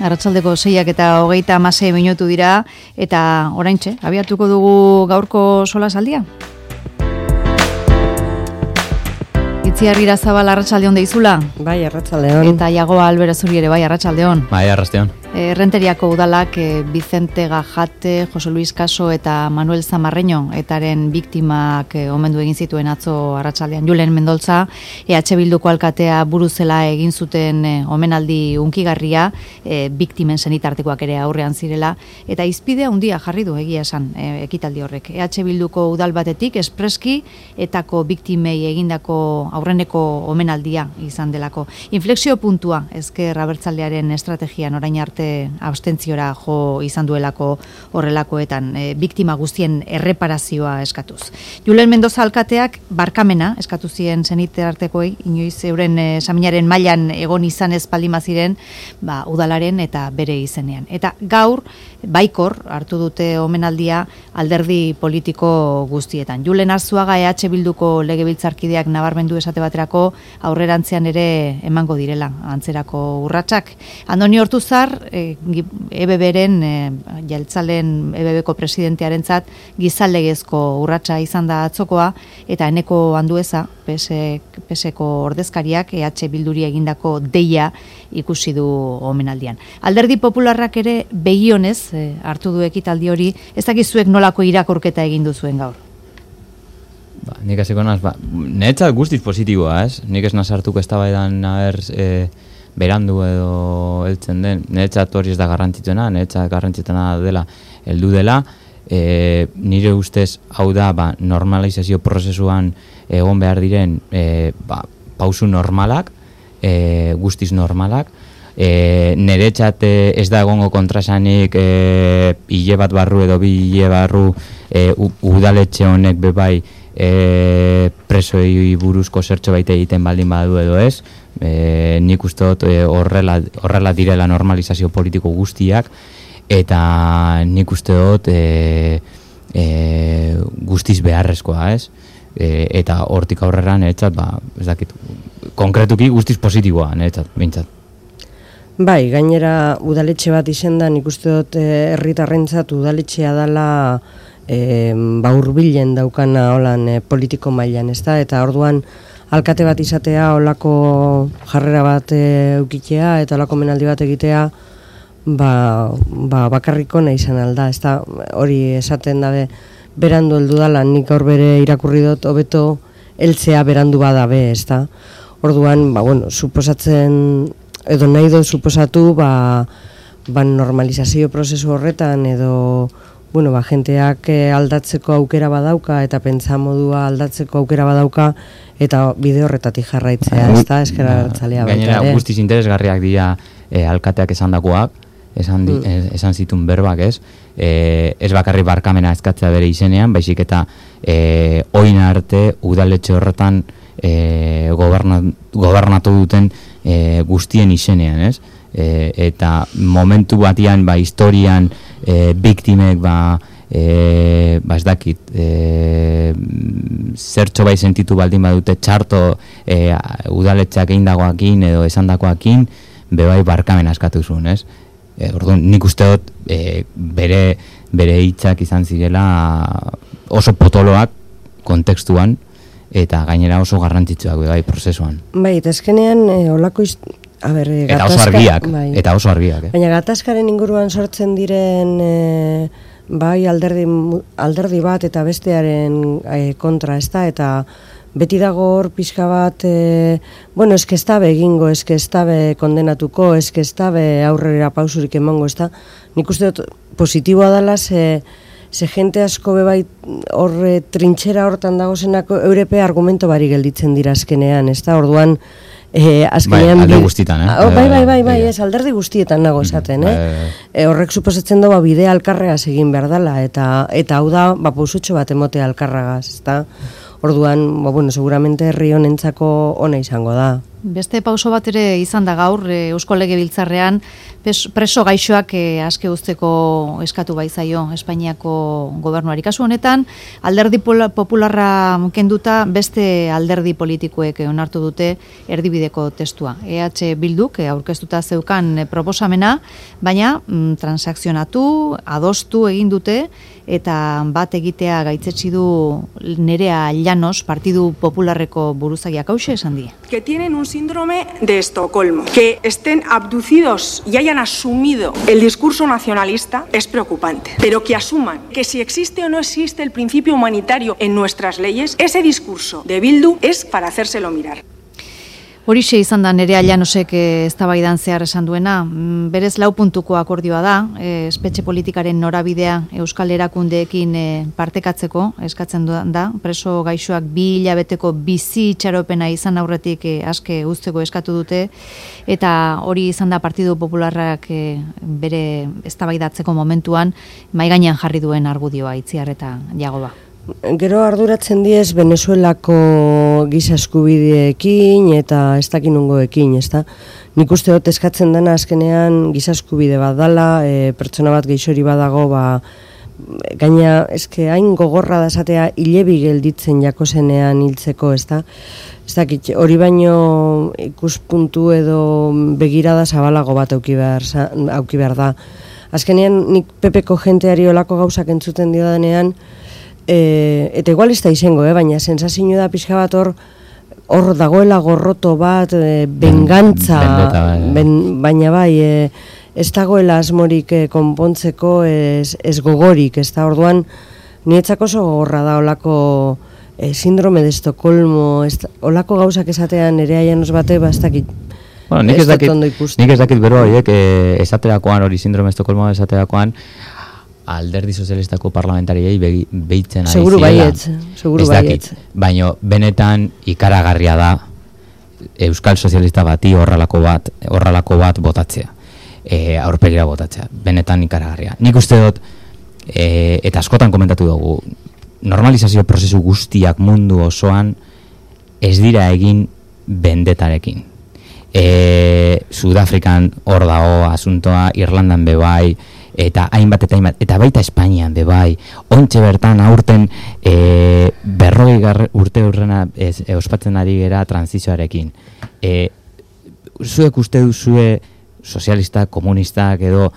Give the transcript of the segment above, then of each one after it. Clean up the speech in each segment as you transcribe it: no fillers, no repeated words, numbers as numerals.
Arratsaldeko 6:26 minutu dira, eta oraintxe, abiatuko dugu gaurko solasaldia. Itziar Irazabal, arratsaldeon deizula. Bai, arratsaldeon. Eta Iago Alberazuri ere, bai, arratsaldeon. Bai, arratsaldeon. Errenteriako udalak Vicente Gajate, Jose Luis Caso eta Manuel Zamarreño etaren biktimak omendu egin zituen atzo arratsaldean. Julen Mendoltza, EH Bilduko alkatea buruzela egin zuten omenaldi unkigarria, biktimen senitartekoak ere aurrean zirela, eta izpide handia jarri du egia esan ekitaldi horrek. EH Bilduko udal batetik espreski etako biktimei egindako aurreneko omenaldia izan delako. Inflexio puntua ezker abertzalearen estrategian orain arte abstentziora jo izan duelako horrelakoetan, biktima guztien erreparazioa eskatuz. Julen Mendoza alkateak barkamena eskatu zien senitartekoei, inoiz euren saminaren mailan egon izan ez palima ziren, udalaren eta bere izenean. Eta gaur baikor hartu dute omenaldia alderdi politiko guztietan. Julen Arzuaga EH Bilduko legebiltzarkideak nabarmendu esate baterako aurrerantzean ere emango direla antzerako urratsak. Andoni Ortuzar, EBBren, Jeltzalen EBBko presidentearentzat gizalegezko urratsa izan da atzokoa, eta Eneko Andueza, PSeko ordezkariak EH Bilduri egindako deia ikusi du omenaldian. Alderdi Popularrak ere begionez hartu du ekitaldi hori, ez dakizuek nolako irakurketa egin duzuen gaur? Nik hasiko naz, niretzat guztiz positiboa, ez? Nik ez nazartuko eztabaidan berandu edo heltzen den, niretzat hori ez da garrantzitsuena, niretzat garrantzitsuena dela, heldu dela, nire ustez hau da normalizazio prozesuan egon behar diren pausu normalak, guztiz normalak, niretzat ez da egongo kontrasanik hile bat barru edo bi hile barru udaletxe honek bebai presoi buruzko zertxo baita egiten baldin badu edo ez, nik uste dut horrela direla normalizazio politiko guztiak, eta nik uste dut guztiz beharrezkoa, ez? Eta hortik aurrera niretzat, ez dakit, konkretuki guztiz positiboa niretzat, bintzat. Bai, gainera udaletxe bat izendan nik uste dut herritarrentzat udaletxea dela hurbilen daukana holan politiko mailan, ezta? Eta orduan alkate bat izatea, holako jarrera bat eukitea eta holako menaldi bat egitea, bakarriko nahi izan alda, ezta? Hori esaten dabe berandu heldu dala, nik gaur bere irakurri dut hobeto heltzea berandu badabe, ezta? Orduan, suposatzen edo nahi dut suposatu normalizazio prozesu horretan edo jenteak aldatzeko aukera badauka eta pentsamodua aldatzeko aukera badauka eta bide horretatik jarraitzea, ezta? Ezker Abertzalea baita. Gainera guztiz interesgarriak dira alkateak esandakoak, esan zituen berbak, ez? Ez bakarrik barkamena eskatzea bere izenean, baizik eta orain arte udaletxe horretan gobernatu duten guztien izenean, ez? Eta momentu batian, historian, biktimek, ez dakit, zertxo bai sentitu baldin badute txarto udaletxeak eindagoakin edo esandakoakin, bebai barkamen askatu zuen, ez? Orduan, nik uste dut bere hitzak izan zirela oso potoloak kontekstuan, eta gainera oso garrantzitsuak bai prozesuan. Bai, eta eskenean olako eta oso argiak. Baina gatazkaren inguruan sortzen diren alderdi bat eta bestearen kontra, ezta? Eta beti dago hor pixka bat, eske ez dabe egingo, eske ez dabe kondenatuko, eske ez dabe aurrera pausurik emango, ezta? Nik uste dut positiboa dela, ze jente asko bebai horre trintxera hortan dagozenako eurepe argumento bari gelditzen dira azkenean, ezta? Orduan, azkenean... Alde guztietan, Bai, ez, alderdi guztietan nago esaten, horrek suposatzen doa bidea alkarregaz egin behar dela, eta hau da, pausutxo bat emotea alkarregaz, ezta? Orduan, seguramente herri honentzako ona izango da. Beste pauso bat ere izan da gaur, Eusko Legebiltzarrean preso gaixoak aske uzteko eskatu baizaio Espainiako gobernuari. Kasu honetan, alderdi popularra kenduta beste alderdi politikoek onartu dute erdibideko testua. EH Bilduk aurkeztuta zeukan proposamena, baina transakzionatu, adostu egin dute, eta bat egitea gaitzetsi du Nerea Llanos, Partidu Popularreko buruzagiak hauxe esan die. Que tienen un síndrome de Estocolmo, que estén abducidos y hayan asumido el discurso nacionalista es preocupante, pero que asuman que si existe o no existe el principio humanitario en nuestras leyes, ese discurso de Bildu es para hacérselo mirar. Horixe izan da Nerea Llanosek eztabaidan zehar esan duena, berez 4 puntuko akordioa da, espetxe politikaren norabidea Euskal Erakundeekin partekatzeko eskatzen da, preso gaixoak 2 hilabeteko bizi itxaropena izan aurretik aske uzteko eskatu dute, eta hori izan da Partidu Popularrak bere eztabaidatzeko momentuan mahai gainean jarri duen argudioa Itziar eta Jagoba. Gero arduratzen diez Venezuelako giza eskubideekin eta ez dakin nungoekin, ezta? Nik uste dut eskatzen dena azkenean giza eskubide bat dala, pertsona bat geixori badago, gaina eske hain gogorra da esatea hilebi gelditzen jakosenean hiltzeko, ezta? Ez dakit, hori baino ikuspuntu edo begirada zabalago bat auki behar da. Azkenean nik Pepeko jenteari olako gauzak entzuten dio denean, eta igual ez da izango, baina sensazio da pixka bat hor dagoela gorroto bat, bengantza, baina bai, ez dagoela asmorik konpontzeko ez gogorik, ez da orduan nietzako oso gogorra da olako síndrome de Estocolmo, olako gauzak esatean Nerea Llanos bate, ez dakit. Bueno, nik ez dakit bero horiek esaterakoan, hori síndrome de Estocolmo esaterakoan, alderdi sozialistako parlamentariei behitzen ari zirela. Seguru baietz. Baina benetan ikaragarria da Euskal Sozialista bati horrelako bat botatzea. Aurpegira botatzea. Benetan ikaragarria. Nik uste dut, eta askotan komentatu dugu, normalizazio prozesu guztiak mundu osoan ez dira egin bendetarekin. Sudafrikan hor dago asuntoa, Irlandan bebai, eta hainbat, eta baita Espainian bebai, ontxe bertan aurten 40 urte urrena ospatzen ari gera transizioarekin. Zuek uste duzue sozialistak, komunistak edo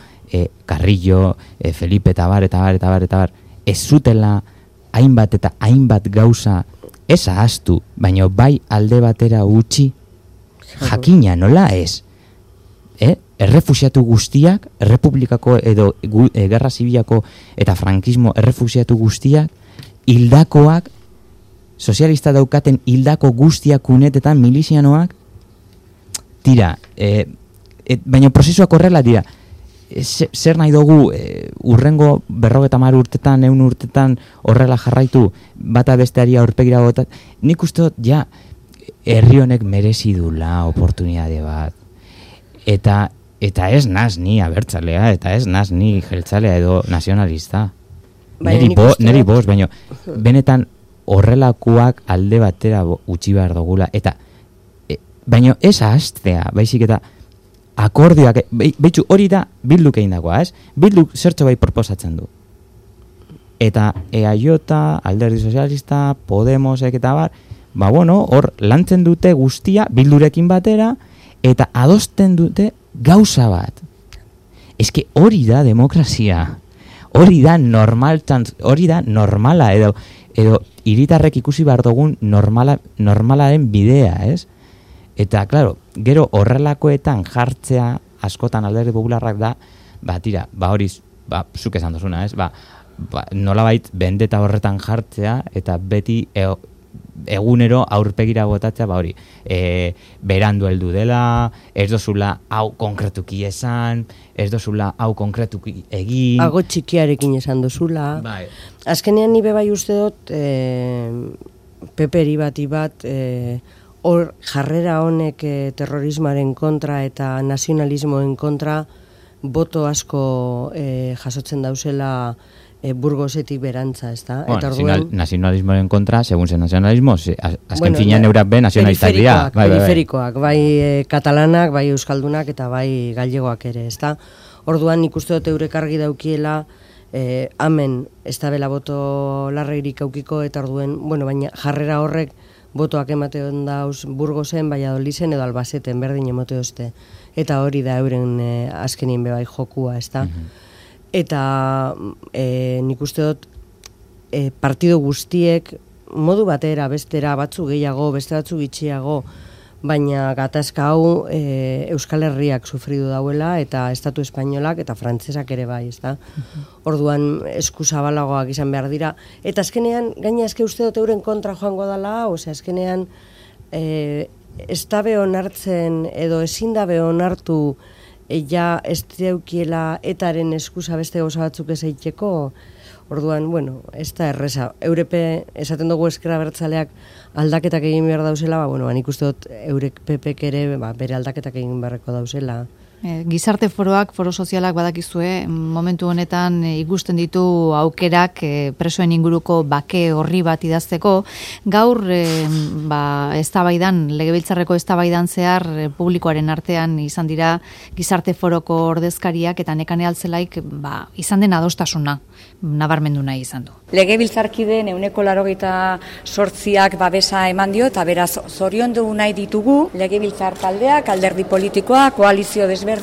Carrillo, Felipe eta bar, ez zutela hainbat eta hainbat gauza ez ahaztu, baina bai alde batera utzi, jakina nola ez. Errefuxiatu guztiak, errepublikako edo gerra zibilako eta frankismo errefuxiatu guztiak, hildakoak, sozialista daukaten hildako guztiak unetetan milizianoak, tira, baina prozesuak horrela dira, zer nahi dugu urrengo 50 urtetan, 100 urtetan horrela jarraitu, bata besteari aurpegira botat, nik uste dut, ja, herri honek merezi dula oportunitate bat. Eta ez naz ni abertzalea, eta ez naz ni jeltzalea edo nazionalista. Neri bost, baina benetan horrelakoak alde batera utzi behar dugula. Eta, baina ez ahaztea, baizik eta akordioak, behitxu hori da Bilduk egin dagoa, ez? Bilduk zertxo bai proposatzen du. Eta EAJ, Alderdi Sozialista, Podemosek eta bar, hor lantzen dute guztia Bildurekin batera, eta adosten dute gauza bat. Eske hori da demokrazia. Hori da normala edo hiritarrek ikusi behar dugun normalaren bidea, ez? Eta, claro, gero horrelakoetan jartzea askotan Alderdi Popularrak da, tira, hori, zuk esan dozuna, ez? Nolabait bendeta horretan jartzea eta beti egunero aurpegira botatzea, hori, berandu heldu dela, ez dozula hau konkretuki esan, ez dozula hau konkretuki egin. Ago txikiarekin esan dozula. Bai. Azkenean nibe bai uste dut, peperi bat, hor jarrera honek terrorismoaren kontra eta nazionalismoen kontra boto asko jasotzen dauzela Burgosetik berantza, ez da? Eta nazionalismoaren kontra, segun zen nazionalismo, azken finean eurak be nazionalistak dira. Periferikoak, bai katalanak, bai euskaldunak eta bai gallegoak ere, ez da? Orduan nik uste dut eurek argi daukiela, hemen ez da bela boto larreirik aukiko, eta orduen, baina jarrera horrek botoak emateon dauz Burgosen, Valladoliden edo Albaceten berdin emote dozte. Eta hori da euren azkenien bebai jokua, ez da? Eta nik uste dut partido guztiek modu batera, bestera, batzu gehiago, beste batzu gitxiago, baina gatazka hau Euskal Herriak sufridu dauela, eta Estatu Espainolak eta Frantsesak ere bai, ez da? Orduan eskuzabalagoak izan behar dira. Eta azkenean, gaina eske uste dut euren kontra joango dela, azkenean ez dabe onartzen edo ezin dabe onartu ja ez deukiela etaren eskusa beste gauza batzuk ez eiteko, orduan, ez da erreza. Eurepe, esaten dugu ezker abertzaleak aldaketak egin behar dauzela, nik uste dut eurek pepek ere bere aldaketak egin beharreko dauzela. Gizarte foroak, foro sozialak badakizue, momentu honetan ikusten ditu aukerak presoen inguruko bake horri bat idazteko. Gaur, eztabaidan, legebiltzarreko eztabaidan zehar publikoaren artean izan dira gizarte foroko ordezkariak eta Nekane Altzelaik izan den adostasuna nabarmendu nahi izan du. Legebiltzarkideen 188ak babesa eman dio eta beraz zoriondu nahi ditugu legebiltzar taldeak, alderdi politikoak, koalizio desberdinak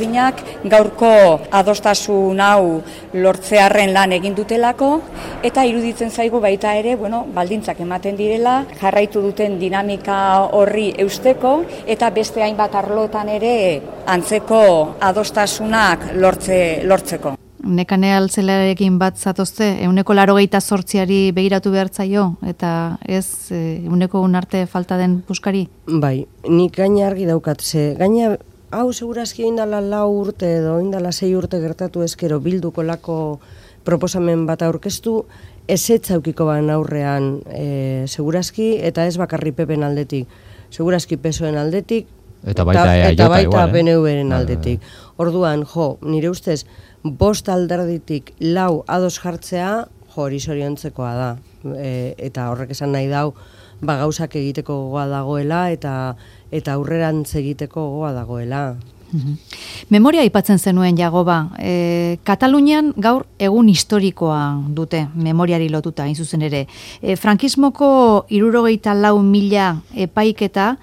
gaurko adostasun hau lortzearren lan egin dutelako eta iruditzen zaigu baita ere, baldintzak ematen direla, jarraitu duten dinamika horri eusteko eta beste hainbat arlotan ere antzeko adostasunak lortzeko. Nekane Altzelarekin bat zatozte, 188ari begiratu behar zaio, eta ez 100 arte falta den puskari? Bai, nik gaina argi daukat, gaina hau segurazki oindala 4 urte edo oindala 6 urte gertatu ezkero bilduko lako proposamen bat aurkeztu, ezetz aukiko ban aurrean segurazki, eta ez bakarri pepen aldetik, segurazki pesoen aldetik, eta baita PNV-ren aldetik. Orduan, nire ustez, 5 alderditik 4 ados jartzea, hori zoriontzekoa da. Eta horrek esan nahi dau, gauzak egiteko gogoa dagoela eta aurrerantz egiteko gogoa dagoela. Memoria aipatzen zenuen Jagoba. Katalunian gaur egun historikoa dute memoriari lotuta, hain zuzen ere. Frankismoko 74.000 epaiketa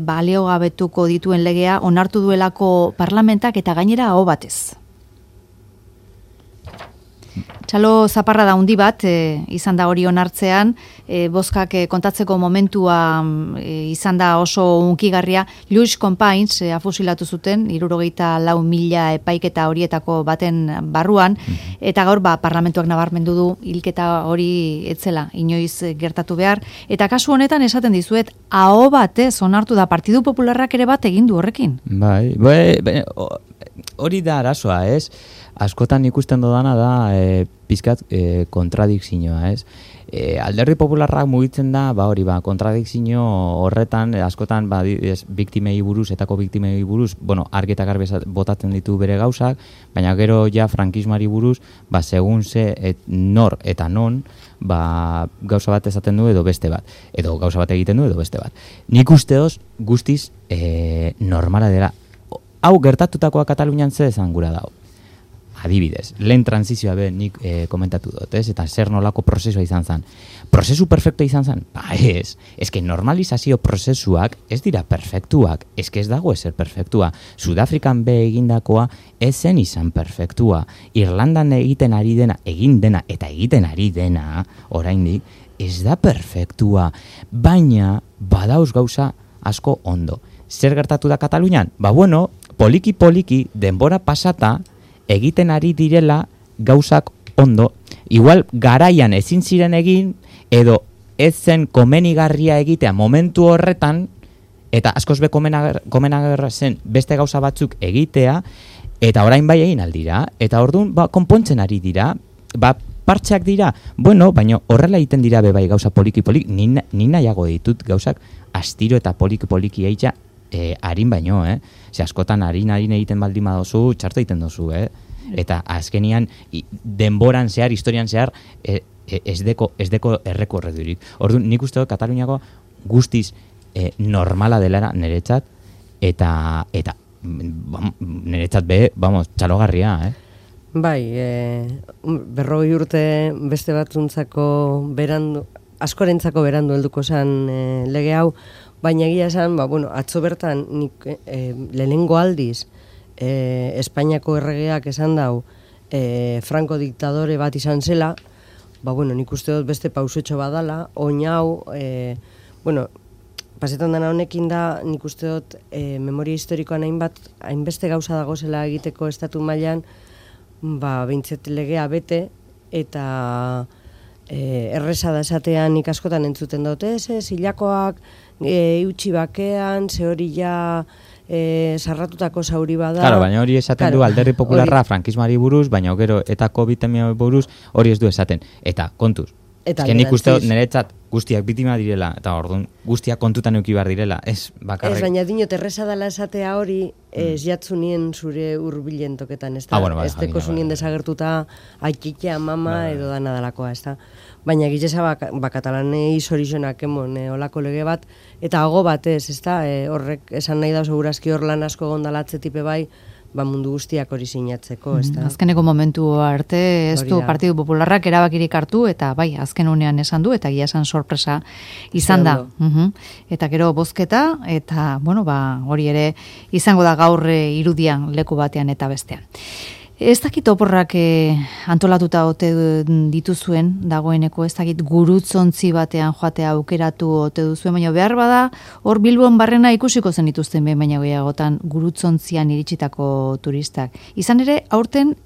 baliogabetuko dituen legea onartu duelako parlamentak eta gainera aho batez. Txalo zaparra da handi bat, izan da hori onartzean, bozkak kontatzeko momentua izan da oso unkigarria. Lluís Companys afusilatu zuten, 74.000 epaiketa horietako baten barruan, eta gaur parlamentuak nabarmendu du hilketa hori etzela inoiz gertatu behar. Eta kasu honetan esaten dizuet, aho batez onartu da Partidu Popularrak ere bat egin du horrekin. Bai, hori da arazoa, ez? Askotan ikusten dodana da pizkat kontradikzioa, ez? Alderdi Popularrak mugitzen da, kontradikzio horretan, askotan biktimei buruz, etako biktimei buruz, argi eta garbi botatzen ditu bere gauzak, baina gero ja frankismari buruz, segun ze nor eta non, gauza bat esaten du edo beste bat, edo gauza bat egiten du edo beste bat. Nik usteoz guztiz normala dela. Hau gertatutakoa Katalunian ze esan gura dago. Adibidez, lehen transizioa nik komentatu dut, ez? Eta zer nolako prozesua izan zen. Prozesu perfektua izan zen? Ez. Ez que normalizazio prozesuak ez dira perfektuak. Ez que ez dago ezer perfektua. Sudafrikan egindakoa ez zen izan perfektua. Irlandan egiten ari dena, egiten ari dena, oraindik, ez da perfektua. Baina, badauz gauza asko ondo. Zer gertatu da Katalunian? Poliki-poliki, denbora pasata, egiten ari direla gauzak ondo. Igual garaian ezin ziren egin, edo ez zen komenigarria egitea momentu horretan, eta askoz be komenagarra zen beste gauza batzuk egitea, eta orain bai egin aldira, eta orduan konpontzen ari dira, partxeak dira, baina horrela egiten dira bai gauza poliki-poliki, ni nahiago ditut gauzak astiro eta poliki-poliki harin baino, Ze askotan harin egiten baldin badozu, txarto egiten dozu, eta azkenian denboran zehar, historian zehar, ez deko errekorredurik. Orduan, nik uste dut Kataluniako guztiz normala dela niretzat, eta niretzat txalogarria, Bai, 40 urte beste batzuntzako berandu, askorentzako berandu helduko zen lege hau, baina egia esan, atzo bertan nik lehenengo aldiz Espainiako erregeak esan dau Franco diktadore bat izan zela, nik uste dut beste pausotxo badala, oin hau, pasetan dena honekin da, nik uste dut memoria historikoan hainbeste gauza dago zela egiteko estatu mailan, behintzet legea bete, eta erreza da esatean nik askotan entzuten dut, hilakoak eutxi bakean, ze hori ja sarratutako zauri bada. Claro, baina hori esaten du Alderdi Popularra frankismoari buruz, baina gero eta COVID-19 buruz hori ez du esaten. Eta kontuz, nik uste niretzat guztiak biktima direla, eta orduan guztiak kontutan euki behar direla, ez bakarrik. Ez, baina dinot, erreza dela esatea hori, ez jatzunien zure hurbilen toketan, ez da? Ez teko zunien desagertuta aikitea, mama, edo dana dalakoa, ez da? Baina gizesa katalanei zorizonak emon olako lege bat, eta hago bat ez da? Horrek esan nahi da segurazki hor lan asko gondalatze tipe bai, mundu guztiak hori sinatzeko, ez da? Azkeneko momentu arte ez du Partidu Popularrak erabakirik hartu, eta bai, azken unean esan du, eta esan sorpresa izan da. Eta gero bozketa, eta, hori ere izango da gaur irudian leku batean eta bestean. Ez dakit oporrak antolatuta ote dituzuen, dagoeneko ez dakit gurutzontzi batean joatea aukeratu ote duzuen, baina behar bada hor Bilbon barrena ikusiko zen dituzten behin baina gehiagotan gurutzontzian iritsitako turistak. Izan ere, aurten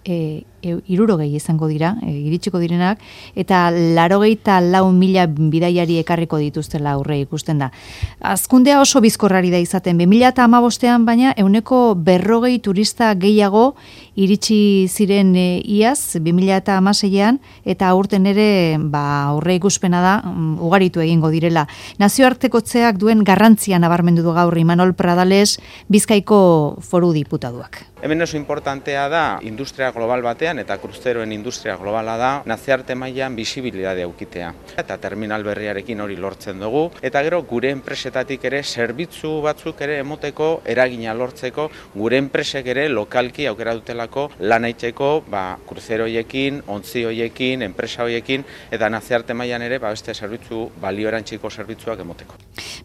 60 izango dira, iritsiko direnak, eta 84.000 bidaiari ekarriko dituztela aurre ikusten da. Azkundea oso bizkorrari da izaten, 2015ean baina 140 turista gehiago iritsi ziren iaz, 2016ean, eta aurten ere aurre ikuspena da, ugaritu egingo direla. Nazioartekotzeak duen garrantzia nabarmendu du gaur Imanol Pradales, Bizkaiko Foru Diputaduak. Hemen oso importantea da, industria global batean, eta kruzeroen industria globala da, nazioarte mailan bisibilidadea ukitea. Eta terminal berriarekin hori lortzen dugu, eta gero gure enpresetatik ere zerbitzu batzuk ere emoteko eragina lortzeko, gure enpresek ere lokalki aukera dutelako lan aitzeko kruzero hoiekin, ontzi hoiekin, enpresa hoiekin, eta nazioarte mailan ere beste zerbitzu balioerantziko zerbitzuak emoteko.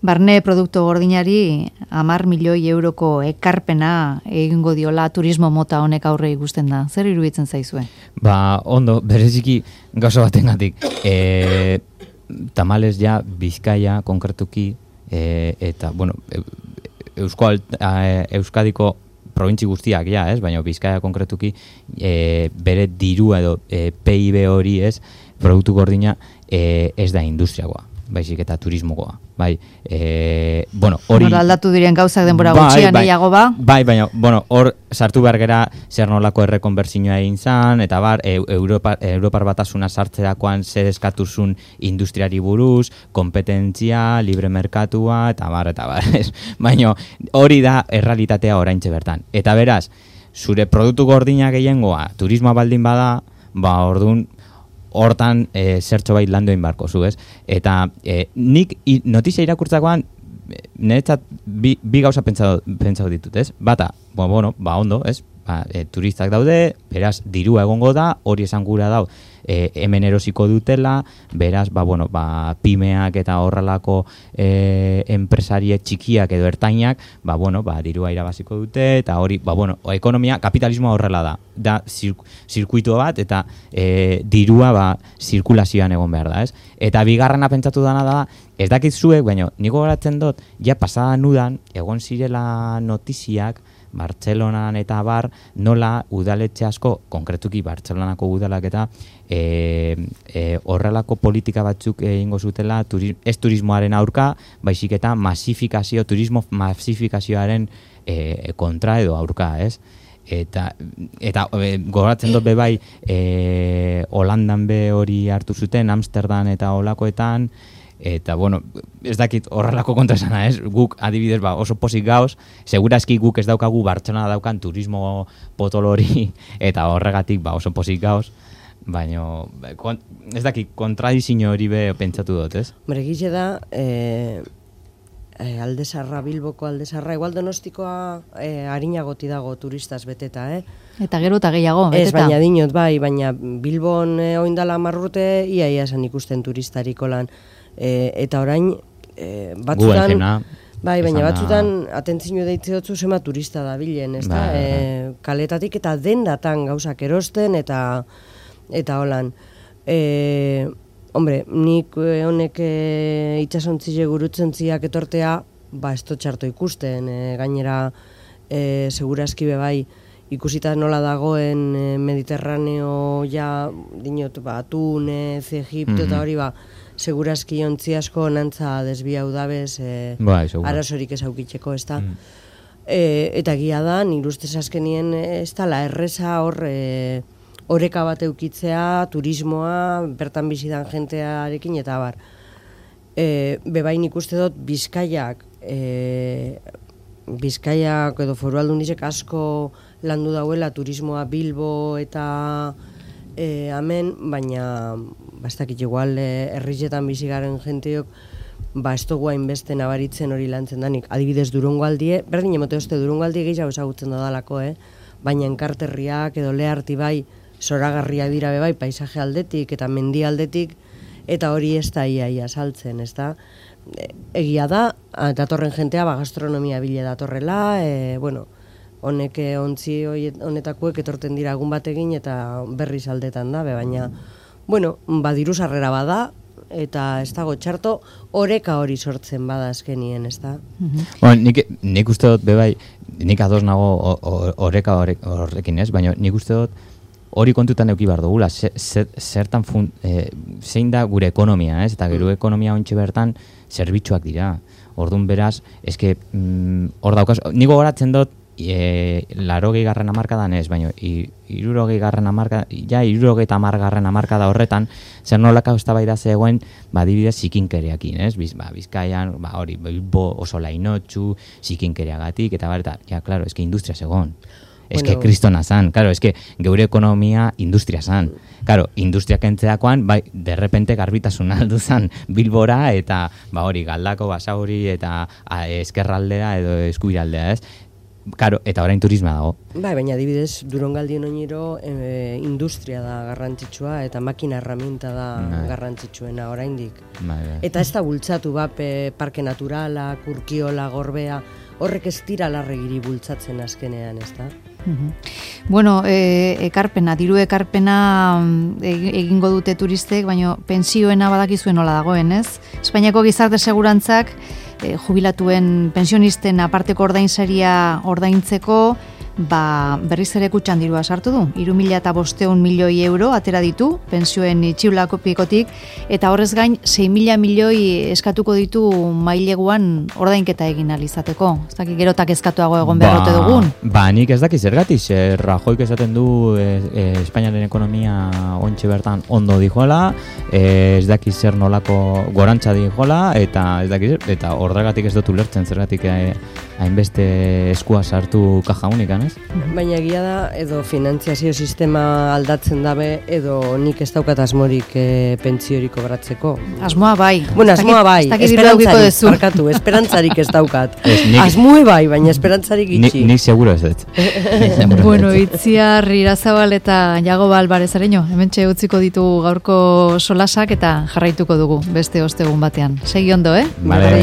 Barne produktu gordinari 10 milioi euroko ekarpena egingo diola turismo mota honek aurre ikusten da. Zer iruditzen zaizue? Ondo, bereziki gauza batengatik. Tamales ja Bizkaia konkretuki eta Euskadiko probintzi guztiak ja, ez? Baina Bizkaia konkretuki bere dirua edo PIB hori, ez? Produktu gordina ez da industriagoa, baizik eta turismokoa. Hori aldatu diren gauzak denbora gutxian gehiago ba? Bai, baina, hor sartu behar gera zer nolako errekonbertsioa egin zan, eta Europar Batasuna sartzerakoan zer eskatuzun industriari buruz, kompetentzia, libre merkatua, eta bar. Baina hori da errealitatea oraintxe bertan. Eta beraz, zure produktu gordina gehiengoa, turismoa baldin bada, orduan, hortan zertxo bait landu egin barko zu, ez? Eta nik notizia irakurtzakoan niretzat bi gauza pentsatu ditut, ez? Bata, ondo, ez? Turistak daude, beraz, dirua egongo da, hori esan gura dau, hemen erosiko dutela, beraz, pimeak eta horrelako enpresariek txikiak edo ertainak, dirua irabaziko dute, eta hori, ekonomia, kapitalismoa horrela da zirkuito bat, eta dirua zirkulazioan egon behar da, ez? Eta bigarrena pentsatu dana da, ez dakit zuek, baina niko garatzen dut, ja pasadan udan, egon zirela notiziak, Bartzelonan eta bar, nola udaletxe asko, konkretuki Bartzelonako udalak eta horrelako politika batzuk egingo zutela ez turismoaren aurka, baizik eta turismo masifikazioaren kontra edo aurka, ez? Eta gogoratzen dut bebai Holandan be hori hartu zuten, Amsterdam eta holakoetan, Eta, bueno, ez dakit horrelako kontrasana, ez? Guk, adibidez, oso pozik gauz, segurazki guk ez daukagu Bartzelona daukan turismo potolori, eta horregatik, oso pozik gauz, baina, ez dakit, kontradizio hori be pentsatu dut, ez? Gile da, Aldezarra, Bilboko Aldezarra, igual Donostikoa harinagoti dago turistaz beteta, Eta gero eta gehiago, beteta. Ez, baina dinot, baina Bilbon oindala 10 urte, ia esan ikusten turistariko lan. Eta orain, batzutan, baina batzutan atentzio deitzeotzu zema turista da bilen, ez da? Kaletatik eta dendatan gauzak erosten eta holan. Hombre, nik honek itxasontzile gurutzentziak etortea, ez txarto ikusten, gainera segurazki bebai, ikusita nola dagoen Mediterraneo ja, dinot, Tunez, Egipto eta hori segurazki ontzi asko nantza desbiau dabez arazorik ez aukitzeko, ez da? Eta gia da, nire ustez azkenien ez dala erreza hor oreka bat eukitzea, turismoa, bertan bizidan jentearekin eta bar. Bebain ikuste dut Bizkaiak edo Foru Aldundizek asko landu dauela turismoa Bilbo eta hemen, baina ez dakit igual herrizetan bizigaren jenteok ez dugu hainbeste nabaritzen hori lantzen danik. Adibidez Durangaldie, berdin emote oste Durangaldie gehiago ezagutzen dodalako, baina enkarterriak edo leharti bai, zoragarria dira bai, paisaje aldetik eta mendi aldetik, eta hori ez da ia saltzen, ez da? Egia da, datorren jentea gastronomia bile datorrela, honek ontzi honetakuek etorten dira egun batekin eta berriz aldetan da, baina, diru sarrera bada, eta ez dago txarto, oreka hori sortzen bada azkenien, ez da? Nik uste dut, bebai, nik ados nago oreka horrekin ez, baina nik uste dut hori kontutan eduki behar dugula, zertan zein da gure ekonomia, ez? Eta gero ekonomia ontsi bertan zerbitzuak dira. Orduan beraz, eske hor daukaz, niko goratzen dut 80. hamarkadan ez, baina 60. hamarkada, ja 70. hamarkada horretan, zer nolaka eztabaida zegoen, adibidez zikinkeriakin, ez? Bizkaian, hori, Bilbo oso lainotxu, zikinkeriagatik, eta ja, klaro, eske industria zegoen. Eske kristona zan, claro, eske geure ekonomia industria zan. Claro, industria kentzeakoan, derrepente garbitasuna aldu zan Bilbora, eta hori, Galdako, Basauri, eta eskerraldea edo eskuiraldea, ez? Claro, eta orain turisma dago. Baina adibidez, Durangaldien oinero industria da garrantzitsua, eta makina herramienta da garrantzitsuena oraindik. Eta ez da bultzatu parke naturala, Urkiola, Gorbea, horrek ez dira larregiri bultzatzen azkenean, ez da? Bueno, diru ekarpena egingo dute turistek, baina pentsioena badakizuen nola dagoen, ez? Espainiako gizarte segurantzak jubilatuen pensionisten aparteko ordainsaria ordaintzeko berriz ere kutxan dirua sartu du. 3.500 milioi euro atera ditu pentsioen itxiulako pikotik, eta horrez gain 6.000 milioi eskatuko ditu maileguan ordainketa egin alizateko. Ez dakit gerotak eskatuago egon beharrote dugun. Nik ez dakit zergatik, Rajoik esaten du Espainiaren ekonomia ontxe bertan ondo dijola, ez dakit zer nolako gorantza dijola, eta ez dakit, eta horregatik ez dut ulertzen zergatik hainbeste eskua sartu kaja unikan, ez? Baina egia da, edo finantziazio sistema aldatzen dabe, edo nik ez daukat asmorik pentsiori kobratzeko. Asmoa bai. Bueno, asmoa bai, esperantzarik ez daukat. Asmoe bai, baina esperantzarik itxi. Nik seguro ez dut. Bueno, Itziar Irazabal eta Jago Alvarez Areño, hementxe utziko ditu gaurko solasak eta jarraituko dugu beste ostegun batean. Segi ondo, Vale,